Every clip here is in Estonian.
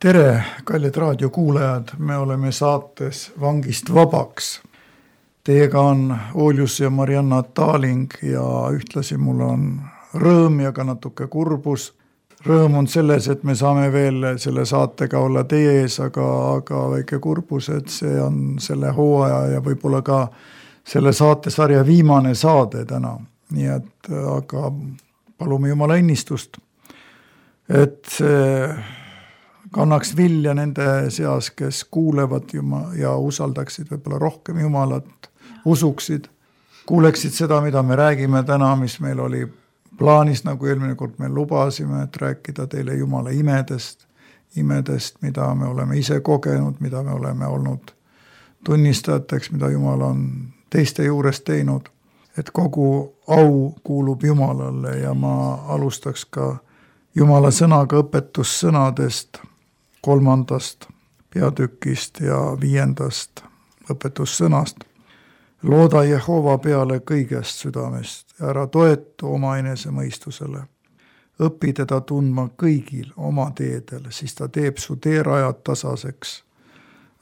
Tere, kallid raadiokuulajad, me oleme saates Vangist vabaks. Teiega on Oljus ja Marianna Taaling ja ühtlasi mul on rõõm ja ka natuke kurbus. Rõõm on selles, et me saame veel selle saatega olla teie ees, aga väike kurbus, et see on selle hooaja ja võib-olla ka selle saatesarja viimane saade täna. Nii et aga palume Jumala õnnistust, et see kannaks vilja nende seas, kes kuulevad ja usaldaksid võib-olla rohkem Jumalat, usuksid, kuuleksid seda, mida me räägime täna, mis meil oli plaanis, nagu eelmine kord me lubasime, et rääkida teile Jumala imedest, mida me oleme ise kogenud, mida me oleme olnud tunnistajateks, mida Jumal on teiste juures teinud, et kogu au kuulub Jumalale ja ma alustaks ka Jumala sõnaga õpetussõnadest 3. peatükist ja 5. õpetussõnast. Looda Jehova peale kõigest südamest ja ära toetu oma enesemõistusele. Õpi teda tundma kõigil oma teedel, siis ta teeb su teerajad tasaseks.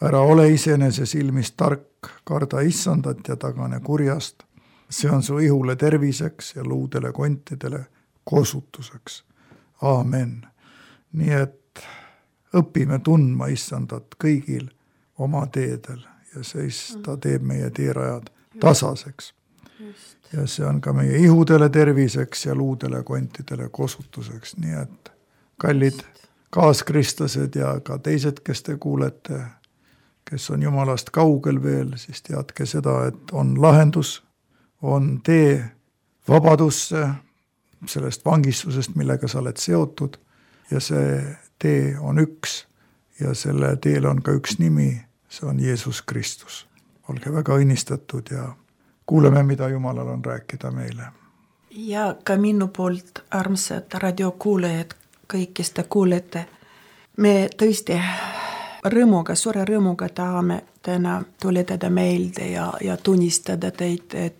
Ära ole iseenese silmis tark, karda issandat ja tagane kurjast. See on su ihule terviseks ja luudele kontidele kosutuseks. Aamen. Nii et õpime tundma issandat kõigil oma teedel ja siis ta teeb meie teerajad tasaseks. Ja see on ka meie ihudele terviseks ja luudele kontidele kosutuseks. Nii et kallid kaaskristlased ja ka teised, kes te kuulete, kes on Jumalast kaugel veel, siis teadke seda, et on lahendus, on tee vabadusse, sellest vangistusest, millega sa oled seotud ja see tee on üks ja selle teel on ka üks nimi, see on Jeesus Kristus. Olge väga õnnistatud ja kuuleme, mida Jumalal on rääkida meile. Ja ka minu poolt armsad radiokuulajad, kõik, kes te kuulete, me tõesti suure rõõmuga tahame täna tuletada meelde ja tunnistada teid, et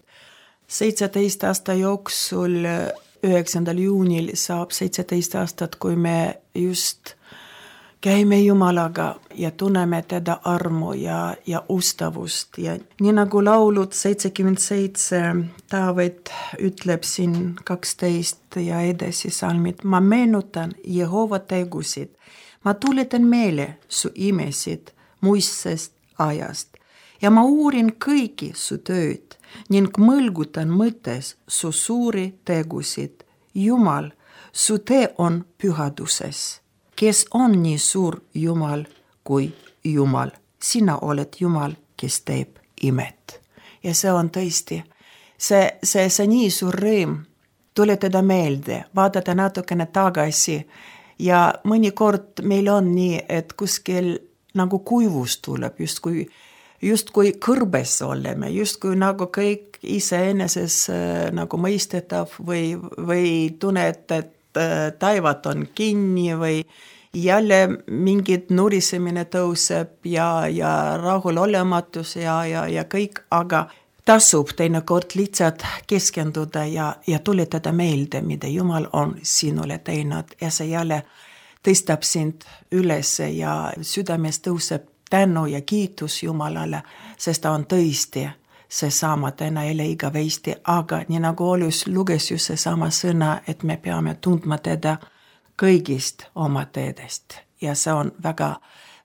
17 aasta jooksul 9. juunil saab 17 aastat, kui me just käime Jumalaga ja tunneme teda armu ja ustavust. Ja nii nagu laulud 77 Taavet ütleb siin 12 ja edasi salmid, ma meenutan Jehova tegusid, ma tuletan meile su imesid muistsest ajast ja ma uurin kõiki su tööd ning mõlgutan mõttes su suuri tegusid. Jumal, su tee on pühaduses. Kes on nii suur Jumal kui Jumal? Sina oled Jumal, kes teeb imet. Ja see on tõesti, see nii suur rõõm tuletada meelde, vaadata natukene tagasi ja mõnikord meil on nii, et kuskil nagu kuivus tuleb, justkui kõrbes oleme, justkui nagu kõik iseeneses nagu mõistetav või tunned, et taivad on kinni või jälle mingid nurisemine tõuseb ja rahulolematus ja kõik, aga tasub teinekord lihtsalt keskenduda ja tuletada meelde, mida Jumal on sinule teinud ja see jälle tõstab sind üles ja südames tõuseb tänu ja kiitus Jumalale, sest ta on tõesti seesama täna jälle igavesti, aga nii nagu Oljus luges ju seesama sõna, et me peame tundma teda kõigist oma teedest ja see on väga,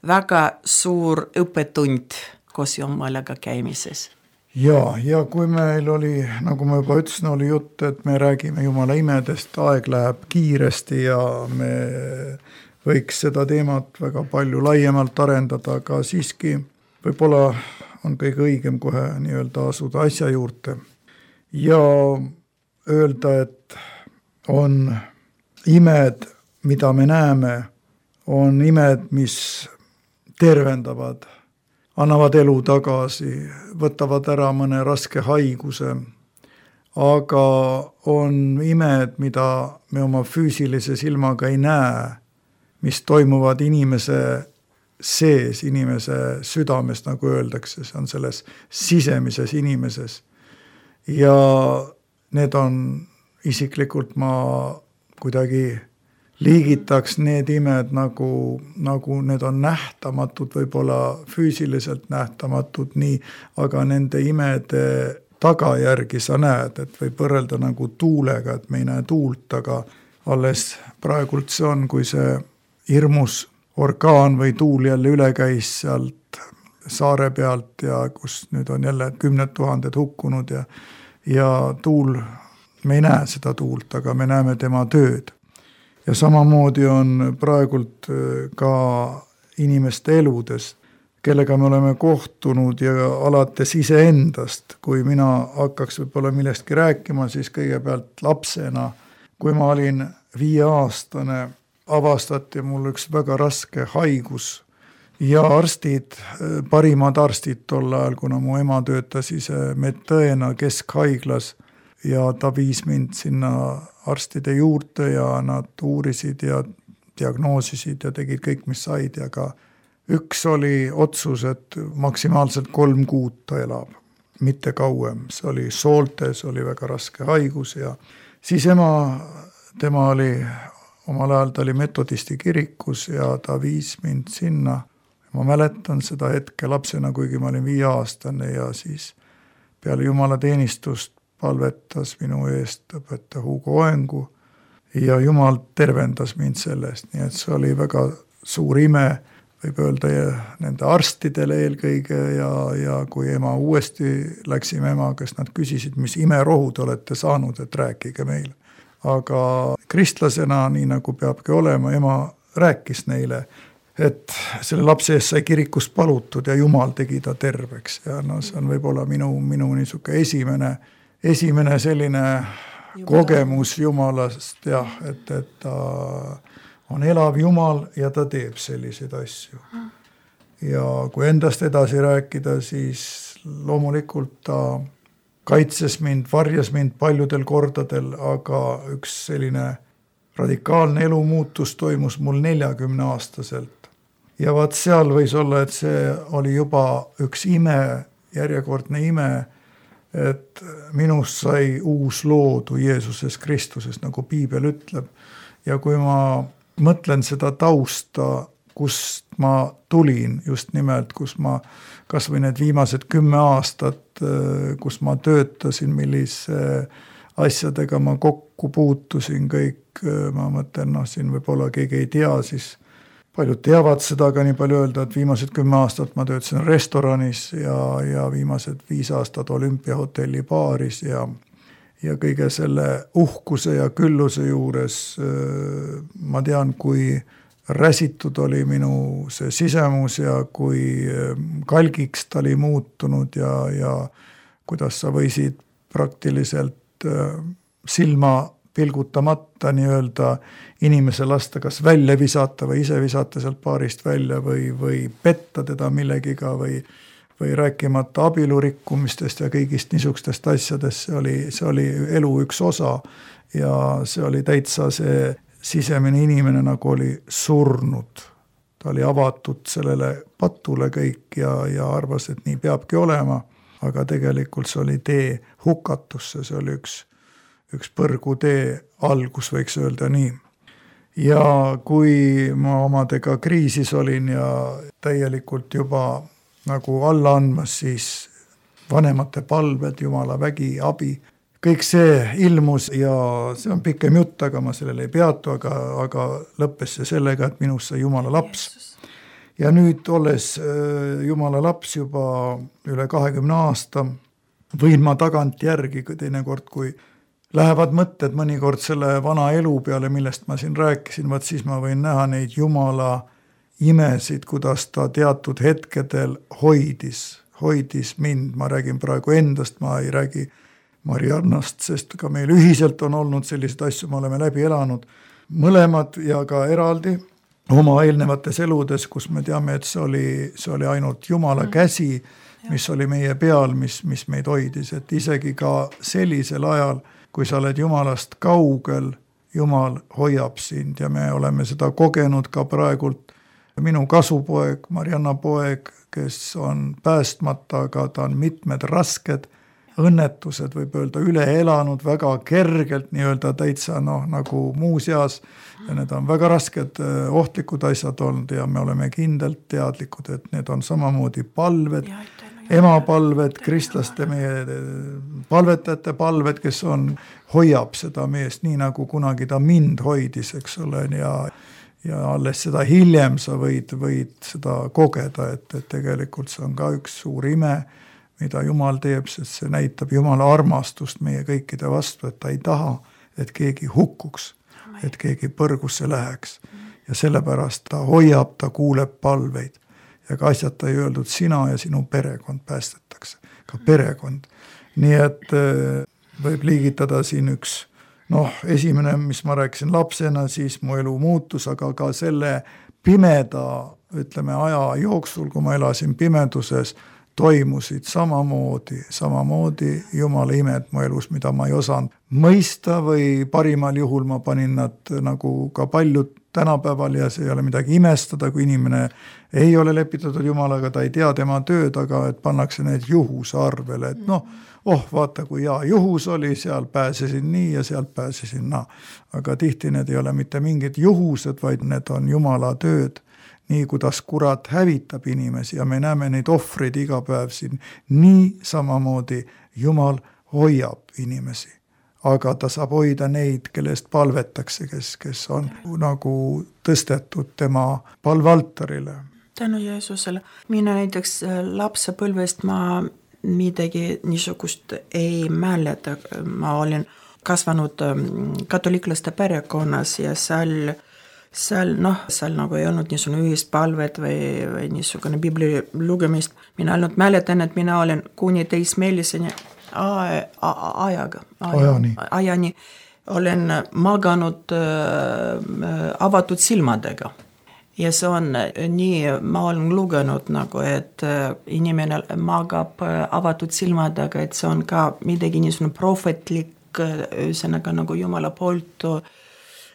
väga suur õppetund koos Jumalaga käimises. Ja kui meil oli, nagu ma juba ütlesin, oli jutt, et me räägime Jumala imedest, aeg läheb kiiresti ja me võiks seda teemat väga palju laiemalt arendada, aga siiski võib-olla on kõige õigem kohe nii-öelda asuda asja juurde ja öelda, et on imed, mida me näeme, on imed, mis tervendavad, annavad elu tagasi, võtavad ära mõne raske haiguse, aga on imed, mida me oma füüsilise silmaga ei näe, mis toimuvad inimese sees, inimese südames, nagu öeldakse, see on selles sisemises inimeses. Ja need on isiklikult ma kuidagi liigitaks need imed nagu need on nähtamatud, võib-olla füüsiliselt nähtamatud nii, aga nende imede tagajärgi sa näed, et võib võrrelda nagu tuulega, et me ei näe tuult, aga alles praegult see on, kui see hirmus orkaan või tuul jälle üle käis sealt saare pealt ja kus nüüd on jälle 10 000 hukkunud ja tuul, me ei näe seda tuult, aga me näeme tema tööd. Ja samamoodi on praegult ka inimeste eludes, kellega me oleme kohtunud ja alates iseendast, kui mina hakkaks võib-olla millestki rääkima, siis kõigepealt lapsena, kui ma olin 5-aastane, avastati mul üks väga raske haigus ja arstid, parimad arstid tol ajal, kuna mu ema töötas ise medõena keskhaiglas ja ta viis mind sinna arstide juurde ja nad uurisid ja diagnoosisid ja tegid kõik, mis said ja ka üks oli otsus, et maksimaalselt 3 kuud ta elab, mitte kauem. See oli sooltes, oli väga raske haigus ja siis tema oli, omal ajal ta oli metodisti kirikus ja ta viis mind sinna. Ma mäletan seda hetke lapsena, kuigi ma olin 5-aastane ja siis peale Jumala teenistust palvetas minu eest õpetaja Hugo Oengu ja Jumal tervendas mind sellest, nii et see oli väga suur ime, võib öelda nende arstidele eelkõige ja kui ema uuesti läksime emaga, kes nad küsisid, mis imerohu te olete saanud, et rääkige meile. Aga kristlasena, nii nagu peabki olema, ema rääkis neile, et selle lapse eest sai kirikus palutud ja Jumal tegi ta terveks ja no see on võib-olla minu niisuke esimene selline kogemus Jumalast jah, et ta on elav Jumal ja ta teeb selliseid asju. Ja kui endast edasi rääkida, siis loomulikult ta kaitses mind, varjas mind paljudel kordadel, aga üks selline radikaalne elumuutus toimus mul 40-aastaselt. Ja vaat seal võis olla, et see oli juba üks ime, järjekordne ime, et minust sai uus loodu Jeesuses Kristuses, nagu Piibel ütleb. Ja kui ma mõtlen seda tausta, kust ma tulin just nimelt, kus ma kas või need viimased 10 aastat, kus ma töötasin, millise asjadega ma kokku puutusin kõik, ma mõtlen, siin võib-olla keegi ei tea, siis paljud teavad seda, aga nii palju öelda, et viimased 10 aastat ma töötasin restoranis ja viimased 5 aastat Olümpiahotelli baaris ja kõige selle uhkuse ja külluse juures ma tean, kui räsitud oli minu see sisemus ja kui kalgiks ta oli muutunud ja kuidas sa võisid praktiliselt silma pilgutamata nii-öelda inimese lasta kas välja visata või ise visata sealt baarist välja või petta teda millegiga või rääkimata abielurikkumistest ja kõigist niisugustest asjadest, see oli elu üks osa ja see oli täitsa see sisemine inimene nagu oli surnud. Ta oli avatud sellele patule kõik ja arvas, et nii peabki olema, aga tegelikult see oli tee hukatusse, see oli üks põrgutee algus, võiks öelda nii. Ja kui ma omadega kriisis olin ja täielikult juba nagu alla andmas, siis vanemate palved, Jumala vägi, abi, kõik see ilmus ja see on pikem jutt, aga ma sellele ei peatu, aga lõppes see sellega, et minust sai Jumala laps. Ja nüüd olles Jumala laps juba üle 20 aasta, võin ma tagant järgi teinekord, kui lähevad mõtted mõnikord selle vana elu peale, millest ma siin rääkisin, vaat siis ma võin näha neid Jumala imesid, kuidas ta teatud hetkedel hoidis mind, ma räägin praegu endast, ma ei räägi Mariannast, sest ka meil ühiselt on olnud sellised asju, me oleme läbi elanud mõlemad ja ka eraldi oma eelnevates eludes, kus me teame, et see oli ainult Jumala käsi, mis oli meie peal, mis meid hoidis, et isegi ka sellisel ajal, kui sa oled Jumalast kaugel, Jumal hoiab sind ja me oleme seda kogenud ka praegult. Minu kasupoeg, Marianna poeg, kes on päästmata, aga ta on mitmed rasked õnnetused võib öelda üle elanud väga kergelt, nii-öelda täitsa nagu muuseas, ja need on väga rasked ohtlikud asjad olnud ja me oleme kindlalt teadlikud, et need on samamoodi palved, emapalved, kristlaste meie palvetajate palved, kes hoiab seda meest nii nagu kunagi ta mind hoidis, eks ole, ja alles seda hiljem sa võid seda kogeda, et tegelikult see on ka üks suur ime, mida Jumal teeb, sest see näitab Jumala armastust meie kõikide vastu, et ta ei taha, et keegi hukkuks, et keegi põrgusse läheks. Ja sellepärast ta hoiab, ta kuuleb palveid. Ja ka asjata ei öeldud, sina ja sinu perekond päästetakse, ka perekond. Nii et võib liigitada siin üks, esimene, mis ma rääkisin lapsena, siis mu elu muutus, aga ka selle pimeda, ütleme, aja jooksul, kui ma elasin pimeduses, toimusid samamoodi Jumala imed mu elus, mida ma ei osanud mõista või parimal juhul ma panin nad nagu ka paljud tänapäeval ja see ei ole midagi imestada, kui inimene ei ole lepitatud Jumalaga, ta ei tea tema tööd, aga et pannakse need juhuse arvele, et vaata kui hea juhus oli, seal pääsesin nii ja sealt pääsesin naa. Aga tihti need ei ole mitte mingid juhused, vaid need on Jumala tööd. Nii kuidas kurat hävitab inimesi ja me näeme neid ohvreid iga päev siin, nii samamoodi Jumal hoiab inimesi. Aga ta saab hoida neid, kellest palvetakse, kes on nagu tõstetud tema palvealtarile. Tänu Jeesusele. Mina näiteks lapsepõlvest ma midagi niisugust ei mäleta. Ma olin kasvanud katoliklaste perekonnas ja seal nagu ei olnud niisugune ühist palvet või niisugune Bibli lugemist. Mina ainult mäletan, et mina olen kuni teismeeliseni ajani olen maganud avatud silmadega. Ja see on nii, ma olen lugenud nagu, et inimene magab avatud silmadega, et see on ka midagi niisugune prohvetlik, ühesõnaga nagu Jumala poolt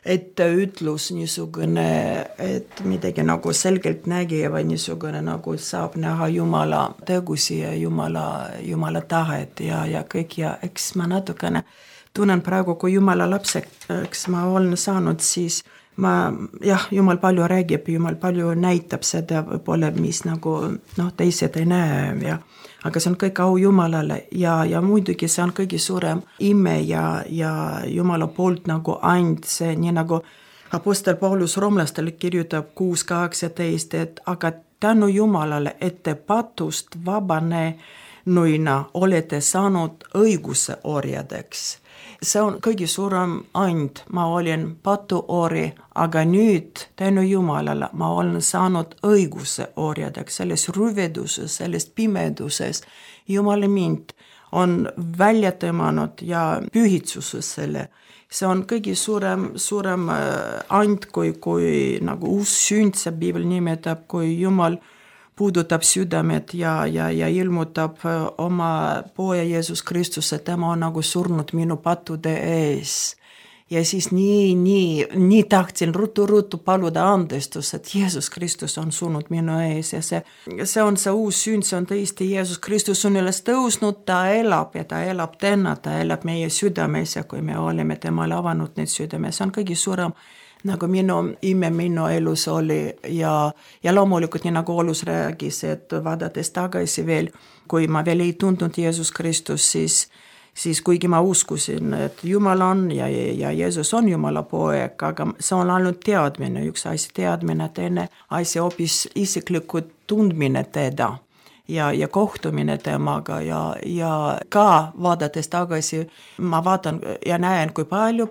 etteütlus niisugune, et midagi nagu selgelt nägija või niisugune nagu saab näha Jumala tegusi ja Jumala tahet ja kõik ja eks ma natukene tunnen praegu, kui Jumala lapseks ma olen saanud, siis Jumal palju räägib, Jumal palju näitab seda võib-olla, mis nagu teised ei näe aga see on kõik au Jumalale ja muidugi see on kõige suurem ime ja Jumala poolt nagu and see, nii nagu apostel Paulus roomlastele kirjutab 6:18, et aga tänu Jumalale, et te patust vabanenuina olete saanud õiguse orjadeks. See on kõige suurem and, ma olin patuori, aga nüüd tänu Jumalale ma olen saanud õiguse orjadeks, selles rüveduses, selles pimeduses. Jumal mind on välja tõmmanud ja pühitsuses selle. See on kõige suurem and, kui nagu uus sünd, see Piibel nimetab, kui Jumal puudutab südamed ja ilmutab oma poja Jeesus Kristuse, tema on nagu surnud minu pattude ees. Ja siis nii tahtsin ruttu paluda andestus, et Jeesus Kristus on surnud minu ees ja see on see uus sünd, see on tõesti Jeesus Kristus on üles tõusnud, ta elab ja ta elab täna, ta elab meie südames ja kui me oleme temale avanud need südames, see on kõige suurem nagu minu ime minu elus oli ja loomulikult nii nagu Olus räägis, et vaadates tagasi veel, kui ma veel ei tundnud Jeesus Kristus, siis kuigi ma uskusin, et Jumal on ja Jeesus on Jumala poeg, aga see on ainult teadmine, üks asi teadmine, teine asi hoopis isiklikud tundmine teda ja kohtumine temaga ja ka vaadates tagasi, ma vaatan ja näen, kui palju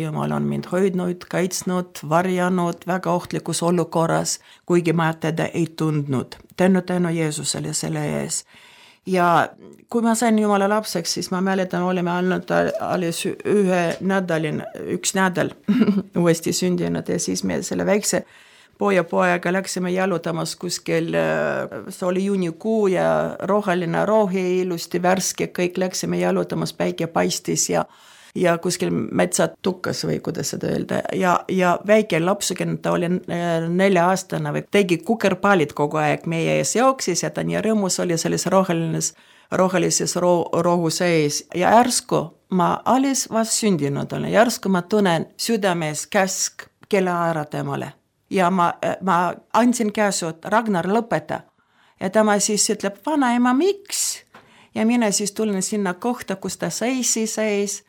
Jumal on mind hoidnud, kaitsnud, varjanud väga ohtlikus olukorras, kuigi ma teda ei tundnud. Tänu Jeesusele selle ees. Ja kui ma sain Jumala lapseks, siis ma mäletan, olime ainult alles üks nädal uuesti sündinud ja siis me selle väikse pojaga läksime jalutamas kuskil, see oli juunikuu ja roheline rohi, ilusti värske, kõik läksime jalutamas, päike paistis ja kuskil metsad tukkas või kuidas seda öelda ja väike lapsukene, ta oli 4-aastane või tegi kukerpallid kogu aeg meie ees jooksis ja ta nii rõõmus oli selles rohelises rohu sees ja järsku ma alles vast sündinud olen, järsku ma tunnen südames käsk kella ära temale. Ja ma andsin käsud, Ragnar lõpeta. Ja tema siis ütleb, vanaema, miks? Ja mina siis tulen sinna kohta, kus ta seis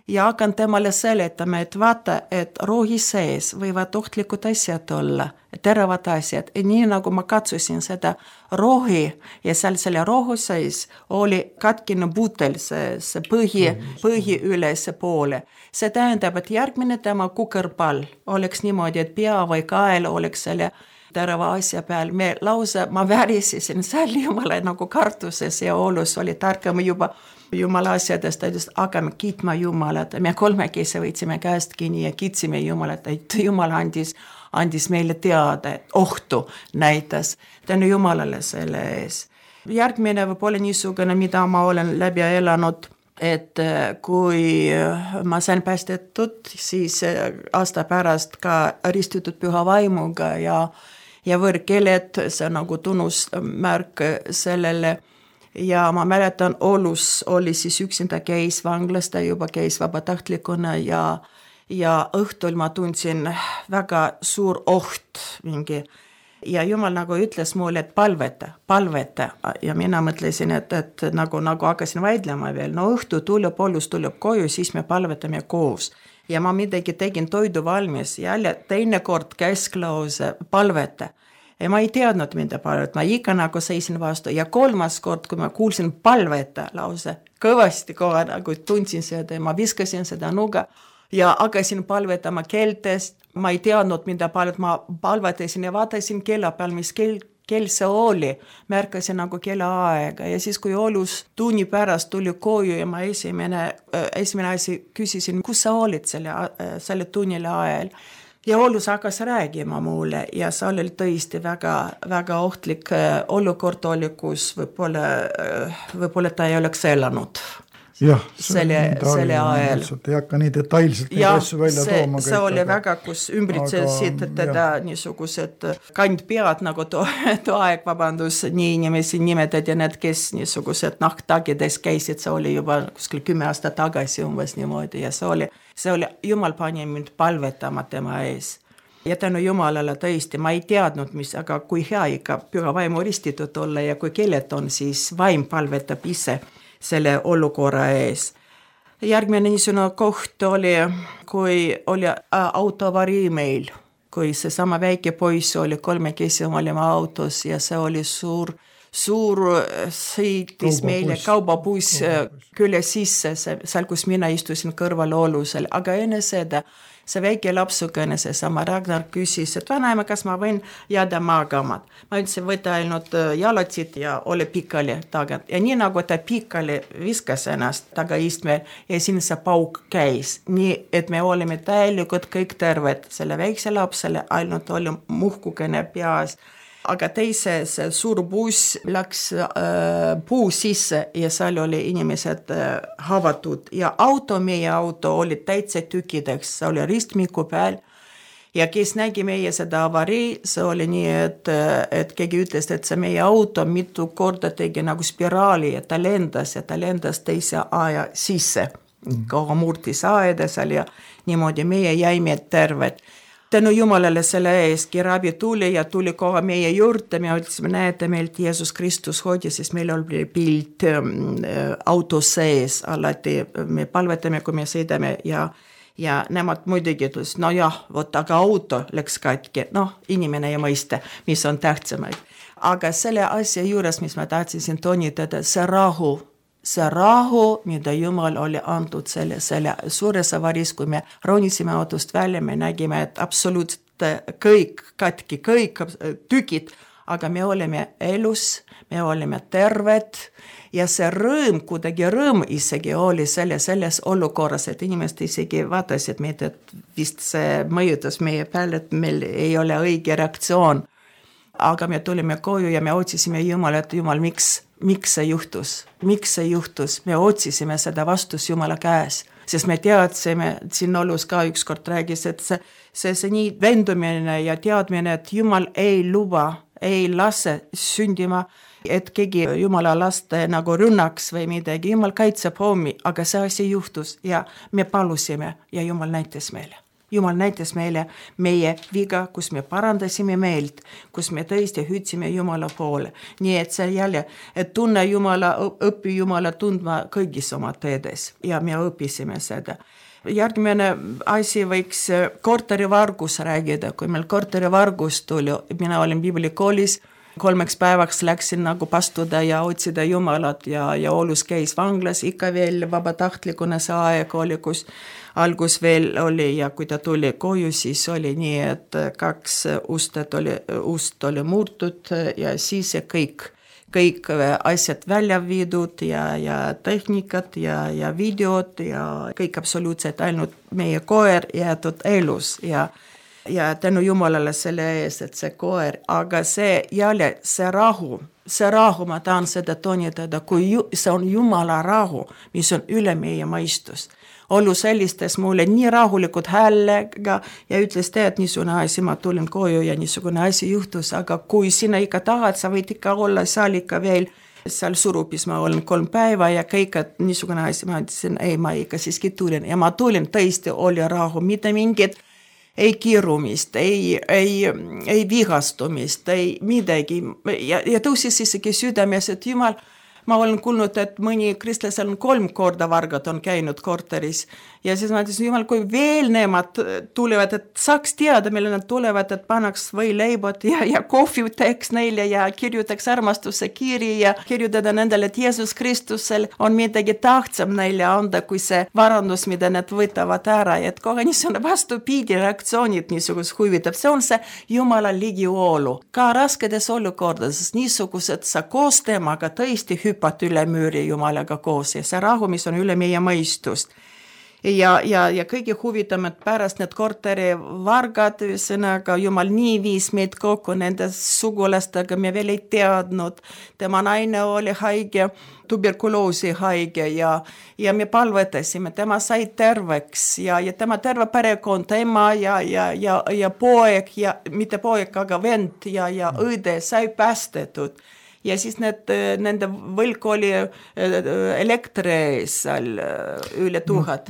ja hakkan temale seletama, et vaata, et rohi sees võivad ohtlikud asjad olla, teravad asjad. Ja nii nagu ma katsusin seda rohi ja seal selle rohu sees oli katkine putel, see põhi üles poole. See tähendab, et järgmine tema kukerpall oleks niimoodi, et pea või kael oleks selle terava asja peal. Ma värisisin seal jumala nagu kartuses ja olus oli tarkama juba jumala asjadest, et hakkame kiitma jumalat. Me kolmekesi võitsime käest kinni ja kiitsime jumalat, et jumal andis meile teada, et ohtu näitas. Tänu jumalale selle ees. Järgmine võib olla niisugune, mida ma olen läbi elanud, et kui ma sain päästetud, siis aasta pärast ka ristitud püha vaimuga ja võõrkeeled, see nagu tunnusmärk sellele. Ja ma mäletan, olus oli siis üksinda käis vanglas, ta juba käis vabatahtlikuna ja õhtul ma tundsin väga suur oht mingi. Ja jumal nagu ütles mulle, et palveta. Ja mina mõtlesin, et nagu hakkasin vaidlema veel. No õhtu tuleb, olus tuleb koju, siis me palvetame koos. Ja ma midagi tegin toidu valmis. Jälle teine kord käsklause palveta. Ja ma ei teadnud, mida palveta. Ma ikka nagu seisin vastu. Ja kolmas kord, kui ma kuulsin palveta lause, kõvasti kohe nagu tundsin seda ja ma viskasin seda nuga ja hakkasin palvetama keeltest. Ma ei teadnud, mida ma palvetasin ja vaatasin kella peal, mis kell see oli. Märkasin nagu kella aega ja siis, kui olus tunni pärast tuli koju ja ma esimene asi küsisin, kus sa olid selle tunnile ajal. Ja olus hakkas räägima mulle ja see oli tõesti väga, väga ohtlik olukord oli, kus võib-olla ta ei oleks elanud. Jah, selle ajal. Ei hakka nii detailselt neid asju välja tooma. See oli väga, kus ümbritsesid teda niisugused kandpead, nagu toaeg, nii inimesi nimetad ja need, kes niisugused nahktagides käisid, see oli juba kuskil 10 aastat tagasi umbes niimoodi ja see oli jumal pani mind palvetama tema ees. Ja tänu jumalale tõesti, ma ei teadnud, aga kui hea ikka püha vaimu ristitud olla ja kui keeled on, siis vaim palvetab ise selle olukorra ees. Järgmine niisugune koht oli, kui oli autoavarii meil, kui see sama väike poiss oli, kolmekesi olime autos ja see oli suur sõitis meile kaubabuss külle sisse, seal, kus mina istusin kõrval olusel, aga enne seda see väike lapsukene, see sama Ragnar küsis, et vanaema, kas ma võin jääda magama. Ma ütlesin, võtta ainult jalatsid ja ole pikali tagant. Ja nii nagu ta pikali viskas ennast tagaistmel ja siin see pauk käis. Nii, et me olime täielikult kõik terved. Selle väikse lapsele ainult oli muhkukene peas. Aga teise see suur buss läks puu sisse ja seal oli inimesed havatud ja meie auto oli täitsa tükkideks, see oli ristmiku peal ja kes nägi meie seda avarii, see oli nii, et keegi ütles, et see meie auto mitu korda tegi nagu spiraali ja ta lendas teise aia sisse, kogu murtis aeda seal ja niimoodi meie jäime terved. Tänu jumalale selle ees kiraabi tuli ja tuli kohe meie juurde, me ütlesime, näete meilt Jeesus Kristus hoidis, siis meil oli pilt auto sees, alati me palvetame, kui me sõidame ja nemad muidugi ütles, no jah, aga auto läks katki, inimene ei mõista, mis on tähtsamaid. Aga selle asja juures, mis ma tahtsin toonitada, see rahu, mida Jumal oli antud selle suures avaris, kui me ronisime autost välja, me nägime, et absoluutselt kõik katki, kõik tükid, aga me olime elus, me olime terved ja see kuidagi rõõm isegi oli selles olukorras, et inimesed isegi vaatasid meid, et vist see mõjutas meie peale, et meil ei ole õige reaktsioon. Aga me tulime koju ja me otsisime Jumala, et Jumal, miks see juhtus? Me otsisime seda vastus Jumala käes. sest me teadsime, et siin Olus ka ükskord räägis, et see nii vendumine ja teadmine, et Jumal ei luba, ei lase sündima, et keegi Jumala laste nagu rünnaks või midagi. Jumal kaitseb hommi, aga see asi juhtus ja me palusime ja Jumal näitas meile. Jumal näitas meile meie viga, kus me parandasime meelt, kus me tõesti hüüdsime Jumala poole. Nii et see jälle, et tunne Jumala, õpi Jumala tundma kõigis oma teedes ja me õpisime seda. Järgmine asi võiks korterivargus räägida. Kui meil korterivargus tuli, mina olin Biiblikoolis, 3 päevaks läksin nagu pastuda ja otsida Jumalat ja Olus käis vanglas, ikka veel vabatahtlikuna see aeg oli, kus algus veel oli ja kui ta tuli koju, siis oli nii, et 2 ust oli murtud ja siis kõik asjad välja viidud ja tehnikat ja videod ja kõik absoluutselt ainult meie koer jäetud elus ja tänu Jumalale selle ees, et see koer, aga see jälle, see rahu, ma tahan seda toonitada, kui see on Jumala rahu, mis on üle meie mõistus. Olus helistas mulle nii rahulikud häälega ja ütles, et niisugune asi, ma tulin koju ja niisugune asi juhtus, aga kui sina ikka tahad, sa võid ikka olla seal ikka veel, seal Surupis ma olen 3 päeva ja kõik, et niisugune asi, ma ütlesin, ei, ma ikka siiski tulin ja ma tulin, tõesti oli rahu, mitte mingit ei kiirumist, ei vigastumist, ei midagi ja tõusis isegi südames, et Jumal, ma olen kuulnud, et mõni kristlasel on 3 korda vargad on käinud korteris ja siis ma ütlesin, Jumal, kui veel nemad tulevad, et saaks teada, mille nad tulevad, et pannaks võileibod ja kohvi teeks neile ja kirjutaks armastuse kiri ja kirjutada nendele, et Jeesus Kristusel on midagi tahtsam neile anda, kui see varandus, mida nad võtavad ära, et kohe niisugune vastupidi reaktsioonid niisugust huvitab, see on see Jumala ligiolu. Ka raskedes olukordades niisugused sa koos temaga tõesti hüppad üle müüri Jumalaga koos ja see rahu, mis on üle meie mõistust. Ja kõige huvitavad pärast need korterivargad, ühesõnaga Jumal nii viis meid kokku nende sugulastega, me veel ei teadnud. Tema naine oli haige, tuberkuloosi haige ja me palvetasime, tema sai terveks ja tema terve perekond, ema ja poeg ja mitte poeg, aga vend ja õde sai päästetud. Ja siis nende võlg oli elektri ees seal üle 1000.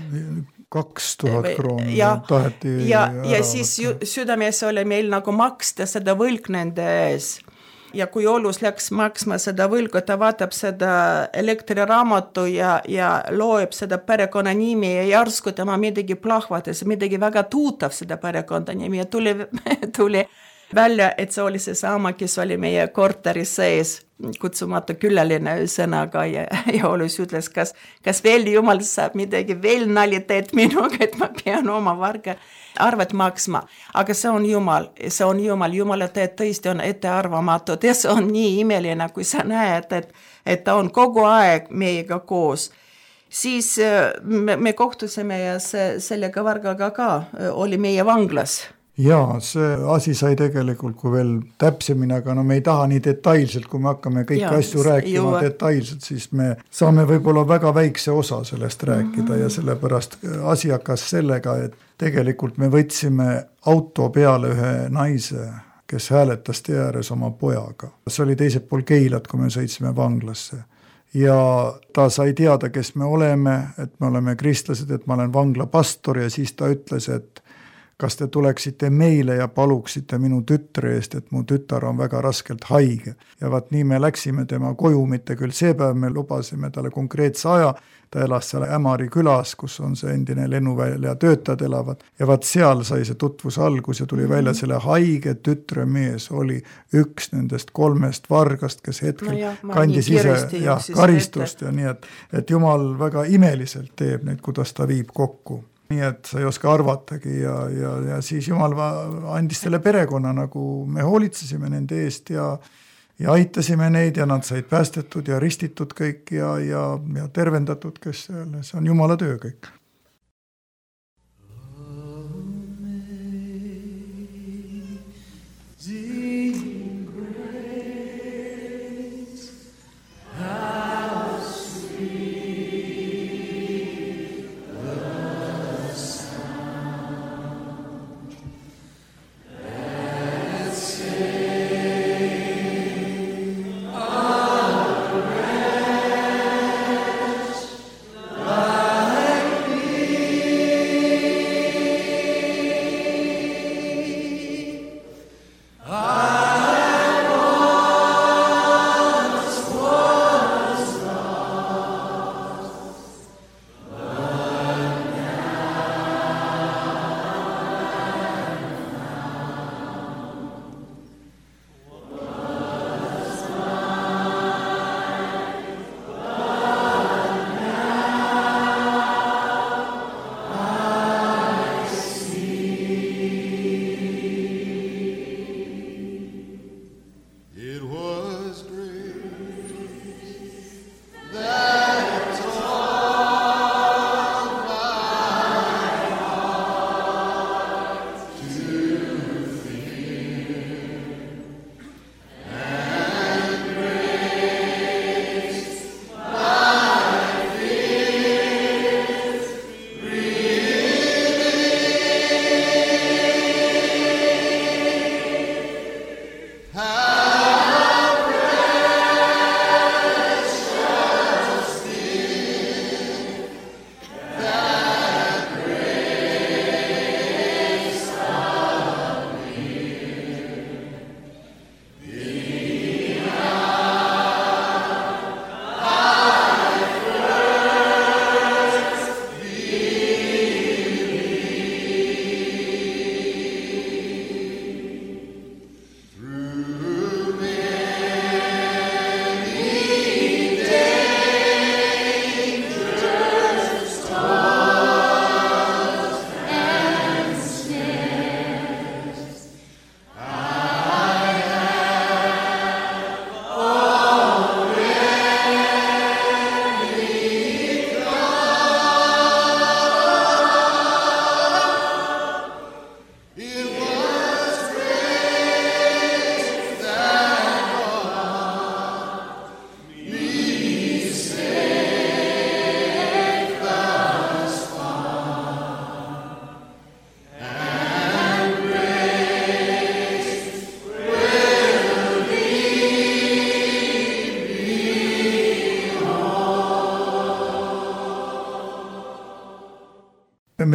2000 krooni taheti ja siis südames oli meil nagu maksta seda võlg nende ees. Ja kui Olus läks maksma seda võlgu, ta vaatab seda elektriraamatu ja loeb seda perekonna nimi ja järsku tema midagi plahvatas, midagi väga tuutav seda perekonda nimi ja tuli välja, et see oli see sama, kes oli meie korteris sees, kutsumatu külaline sõnaga ja Olus ütles, kas veel Jumal saab midagi veel naliteed minuga, et ma pean oma varga arvet maksma. Aga see on Jumal, Jumala teed tõesti on ettearvamatud ja see on nii imeline, kui sa näed, et ta on kogu aeg meiega koos. Siis me kohtusime ja sellega vargaga ka oli meie vanglas. Jaa, see asi sai tegelikult, kui veel täpsemini, aga me ei taha nii detailselt, kui me hakkame kõiki asju rääkima detailselt, siis me saame võib-olla väga väikse osa sellest rääkida ja sellepärast asi hakkas sellega, et tegelikult me võtsime auto peale ühe naise, kes hääletas tee ääres oma pojaga. See oli teisel pool Keilat, kui me sõitsime vanglasse. Ja ta sai teada, kes me oleme, et me oleme kristlased, et ma olen vangla pastor ja siis ta ütles, et kas te tuleksite meile ja paluksite minu tütre eest, et mu tütar on väga raskelt haige. Ja vaat nii me läksime tema koju, mitte küll see päev me lubasime talle konkreetse aja, ta elas seal Ämari külas, kus on see endine lennuvälja töötajad elavad. Ja vaat seal sai see tutvus algus ja tuli välja selle haige tütre mees oli üks nendest 3 vargast, kes hetkel kandis ise karistust ja nii, et Jumal väga imeliselt teeb neid, kuidas ta viib kokku. Nii et sa ei oska arvatagi ja siis Jumal andis selle perekonna, nagu me hoolitsesime nende eest ja aitasime neid ja nad said päästetud ja ristitud kõik ja tervendatud, kes see on Jumala töö kõik.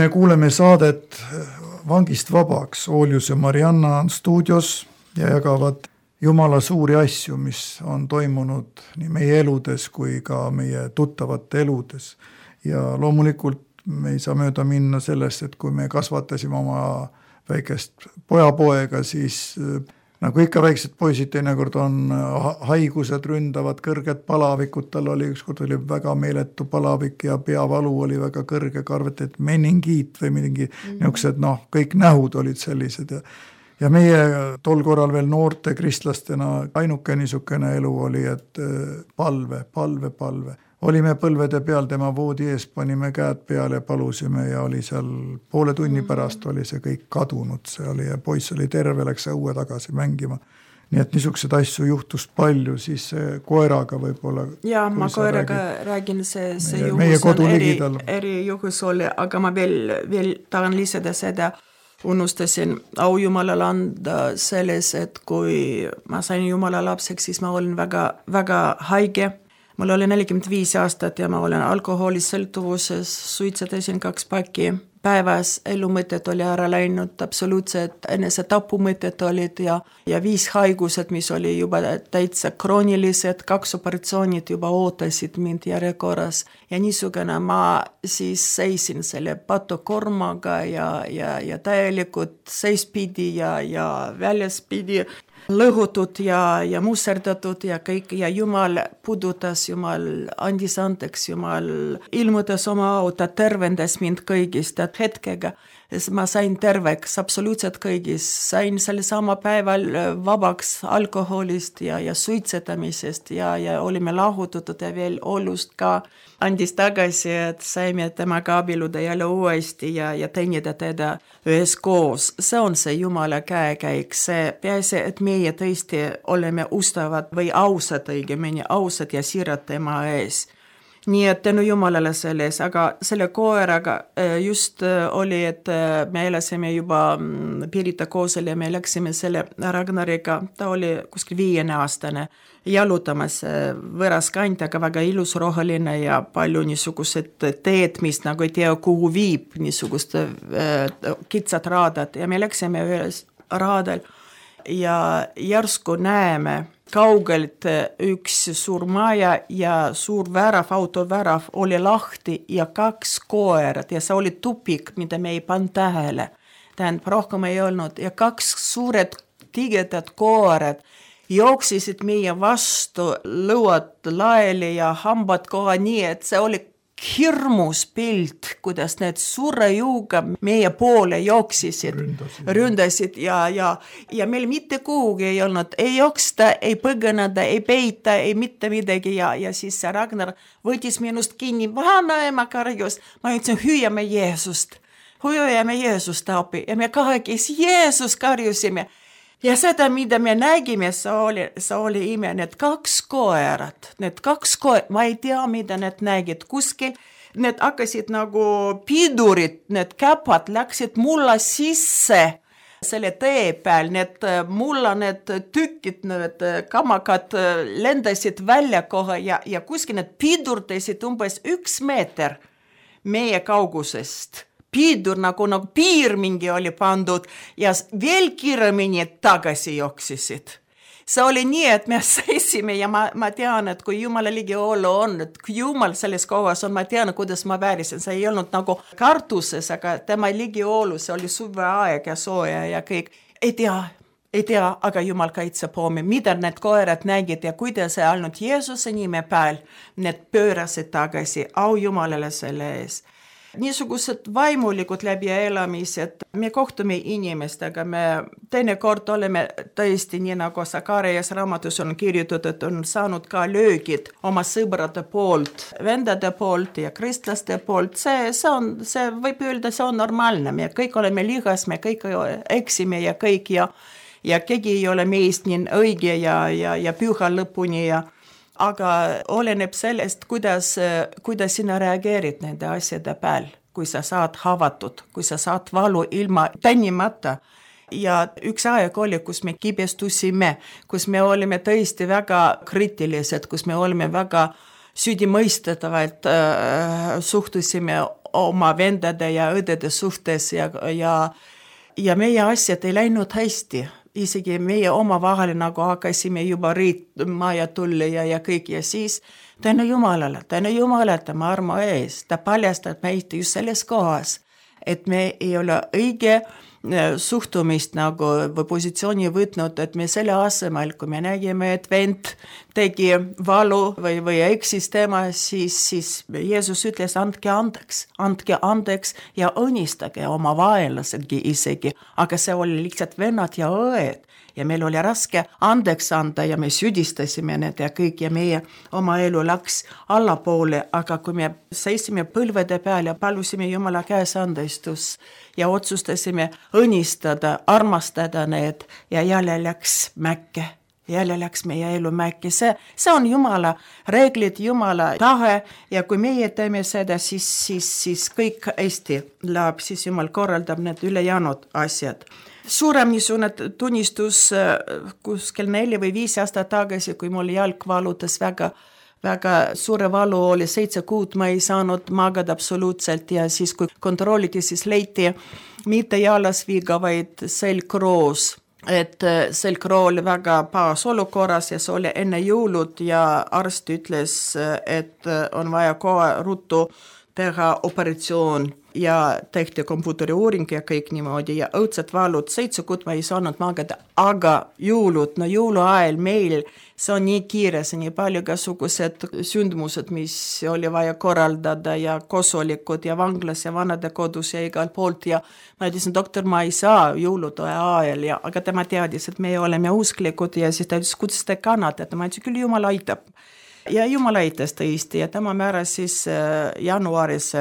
me kuuleme saadet Vangist vabaks. Ooljus ja Marianna on stuudios ja jagavad Jumala suuri asju, mis on toimunud nii meie eludes kui ka meie tuttavate eludes. Ja loomulikult me ei saa mööda minna sellest, et kui me kasvatasime oma väikest pojapoega, siis nagu ikka väiksed poisid teinekord on haigused, ründavad kõrged palavikud, tal oli ükskord oli väga meeletu palavik ja peavalu oli väga kõrge, karvati, et meningiit või mingi niisugused, kõik nähud olid sellised ja meie tol korral veel noorte kristlastena ainuke niisugune elu oli, et palve. Olime põlvede peal tema voodi ees, panime käed peale ja palusime ja oli seal poole tunni pärast oli see kõik kadunud, see oli ja poiss oli terve, läks õue tagasi mängima. Nii et niisugused asju juhtus palju, siis koeraga võib-olla. Ja ma koeraga räägin, see juhus on eri juhus oli, aga ma veel tahan lisada seda, unustasin au Jumalale anda selles, et kui ma sain Jumala lapseks, siis ma olin väga, väga haige. Mul oli 45 aastat ja ma olen alkoholisõltuvuses, suitsetasin 2 pakki päevas, elumõtted oli ära läinud, absoluutselt enese tapumõtted olid ja 5 haigused, mis oli juba täitsa kroonilised, 2 operatsioonid juba ootasid mind järjekorras ja niisugune ma siis seisin selle patukormaga ja täielikult seispidi ja väljaspidi lõhutud ja musserdatud ja kõik ja Jumal puudutas, Jumal andis andeks, Jumal ilmutas oma auta, tervendas mind kõigist hetkega. Ma sain terveks absoluutselt kõigis, sain selle sama päeval vabaks alkoholist ja suitsetamisest ja olime lahutatud ja veel olust ka andis tagasi, et saime temaga abielluda jälle uuesti ja teenida teda üheskoos. See on see Jumala käekäik, see peaasi, et meie tõesti oleme ustavad või ausad õigemini, ausad ja siirad tema ees. Nii et tänu Jumalale selles, aga selle koeraga just oli, et me elasime juba Pirita koosel ja me läksime selle Ragnariga, ta oli kuskil 5-aastane, jalutamas võõras kant, aga väga ilus roheline ja palju niisugused teed, mis nagu ei tea, kuhu viib niisugust kitsad raadad ja me läksime ühes raadal ja järsku näeme kaugelt üks suur maja ja suur värav, autovärav oli lahti ja 2 koerad ja see oli tupik, mida me ei pannud tähele. Tähendab, rohkem ei olnud ja 2 suured tigedad koerad jooksisid meie vastu, lõuad laeli ja hambad koha nii, et see oli hirmus pilt, kuidas need suure juuga meie poole jooksisid, ründasid ja meil mitte kuhugi ei olnud, ei jooksta, ei põgeneda, ei peita, ei mitte midagi ja siis see Ragnar võttis minust kinni, vanaema karjus, ma ütlesin, hüüame Jeesust appi ja me kahekesi Jeesus karjusime. Ja seda, mida me nägime, see oli ime, need 2 koerad, ma ei tea, mida need nägid kuskil, need hakkasid nagu pidurid, need käpad läksid mulla sisse selle tee peal, need tükid, need kamakad lendasid välja kohe ja kuskil need pidurdasid umbes 1 meeter meie kaugusest. Piidur nagu piir mingi oli pandud ja veel kiiremini tagasi jooksisid. See oli nii, et me seisime ja ma tean, et kui Jumala ligi olla on, et kui Jumal selles kohas on, ma tean, kuidas ma väärisin. See ei olnud nagu kartuses, aga tema ligi olu, see oli suveaeg ja sooja ja kõik. Ei tea, aga Jumal kaitseb homme, mida need koerad nägid ja kuidas see ainult Jeesuse nime peal, need pöörasid tagasi, au Jumalale selle ees. Niisugused vaimulikud läbielamised, me kohtume inimestega, me teinekord oleme tõesti nii nagu Sakarias raamatus on kirjutatud, et on saanud ka löögid oma sõbrade poolt, vendade poolt ja kristlaste poolt, see võib öelda, see on normaalne, me kõik oleme lihas, me kõik eksime ja kõik ja keegi ei ole meist nii õige ja püha lõpuni aga oleneb sellest, kuidas sina reageerid nende asjade peal, kui sa saad havatud, kui sa saad valu ilma tänimata. Ja üks aeg oli, kus me kibestusime, kus me olime tõesti väga kriitilised, kus me olime väga süüdimõistetavalt suhtusime oma vendade ja õdede suhtes ja meie asjad ei läinud hästi. Isegi meie omavahel nagu hakkasime juba riitma ja tulli ja kõik ja siis tänu Jumalale, tema armo ees, ta paljastab meid just selles kohas, et me ei ole õige suhtumist nagu või positsiooni võtnud, et me selle asemel, kui me nägime, et vend tegi valu või eksis tema, siis Jeesus ütles, andke andeks ja õnnistage oma vaenlasedki isegi, aga see oli lihtsalt vennad ja õed. Ja meil oli raske andeks anda ja me süüdistasime need ja kõik ja meie oma elu läks allapoole, aga kui me seisime põlvede peal ja palusime Jumala käes andestus ja otsustasime õnnistada, armastada need ja jälle läks meie elu mäkke. See on Jumala reeglid, Jumala tahe ja kui meie teeme seda, siis kõik hästi läheb, siis Jumal korraldab need ülejäänud asjad. Suurem niisugune tunnistus kuskil 4 või 5 aastat tagasi, kui mul jalg valutas väga suure valu oli 7 kuud, ma ei saanud magada absoluutselt ja siis kui kontrolliti, siis leiti mitte jalasviga, vaid selgroos. Et selgroo oli väga pahas olukorras ja see oli enne jõulud ja arst ütles, et on vaja kohe ruttu teha operatsioon ja tehti komputeriuuring ja kõik niimoodi ja õudsed valud 7 kuud ma ei saanud magada, aga jõuluajal meil see on nii kiire, see nii palju kasugused sündmused, mis oli vaja korraldada ja kosolikud ja vanglas ja vanade kodus ja igal poolt ja ma ütlesin, doktor, ma ei saa jõulude ajal aga tema teadis, et me oleme usklikud ja siis ta ütles, kuidas te kannatate, ma ütlesin, küll Jumal aitab. Ja Jumal aitas tõesti ja tema määras siis jaanuaris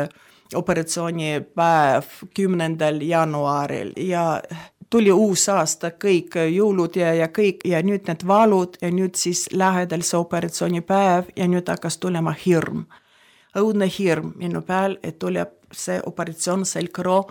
operatsioonipäev 10. jaanuaril ja tuli uus aasta, kõik jõulud ja kõik ja nüüd need valud ja nüüd siis lähedal see operatsioonipäev ja nüüd hakkas tulema hirm. Õudne hirm minu peal, et tuleb see operatsioon selgroo,